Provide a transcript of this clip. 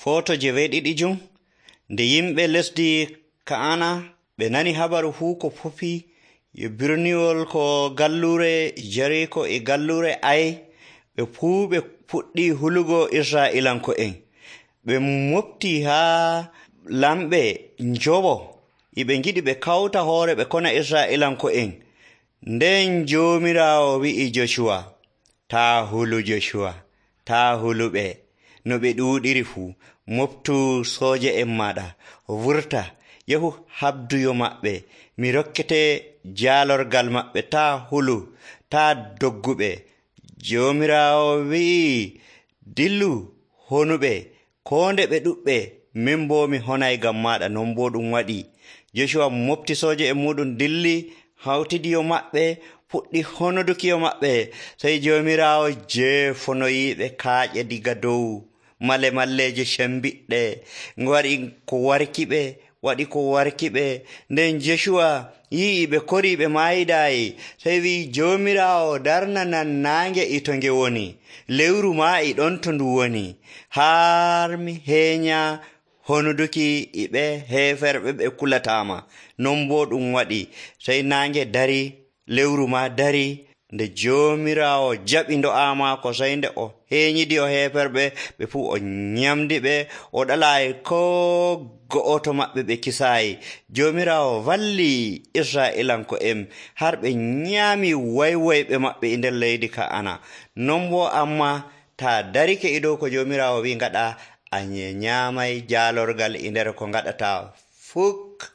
Foto je weeɗiɗijum. Nde yimɓe lesdi Ka'ana ɓe nani habaru fuu ko fofi birniwol ko gallure Jariko e gallure Ai, ɓe fuu ɓe puɗɗi hulugo Isra'ilanko'en. Ɓe mofti haa lamɓe njoɓo ɓe ngiɗi ɓe kawta hoore ɓe kona Isra'ilanko'en. Nden Joomiraawo wi'i Joshuwa, taa hulu Joshuwa, taa huluɓe no ɓe ɗuuɗiri fuu. Moftu sooje'en maaɗa, wurta yahu habduyo maɓɓe. Mi rokkete jaalorgal maɓɓe, taa hulu, taa dogguɓe. Joomiraawo wi'i, dillu honuɓe, koo nde ɓe ɗuɓɓe, min boo mi honay ngam maaɗa. Non boo ɗum waɗi. Joshuwa mofti sooje'en muɗum dilli, hawtidiyo maɓɓe, fuɗɗi honodukiyo maɓɓe. Sey Joomiraawo jeefonoyiiɓe kaaƴe diga dow malemalleeje cembiɗɗe, waɗi ko warkiɓe. Nden Joshuwa yi'i ɓe korii ɓe maayidaayi, sey wi'i Joomiraawo darnanan naange e to nge woni, lewru maa e ɗon to ndu woni, haa mi heenya honuduki e ɓe heeferɓe ɓe kulataama. Non boo ɗum waɗi. Sey naange dari, lewru maa dari. Nde Joomiraawo jaɓi ndo'a maako, sey nde o heenyidi o heeferɓe ɓe fuu o nyamdi ɓe, o ɗalaayi koo go'oto maɓɓe ɓe kisaayi. Joomiraawo walli Isra'ilanko'en har ɓe nyaami waywoyɓe maɓɓe e nder leydi Ka'ana. Non boo amma taa darike e dow ko Joomiraawo wi'i ngaɗa, a nyaamay jaalorgal e nder ko ngaɗataa fuk.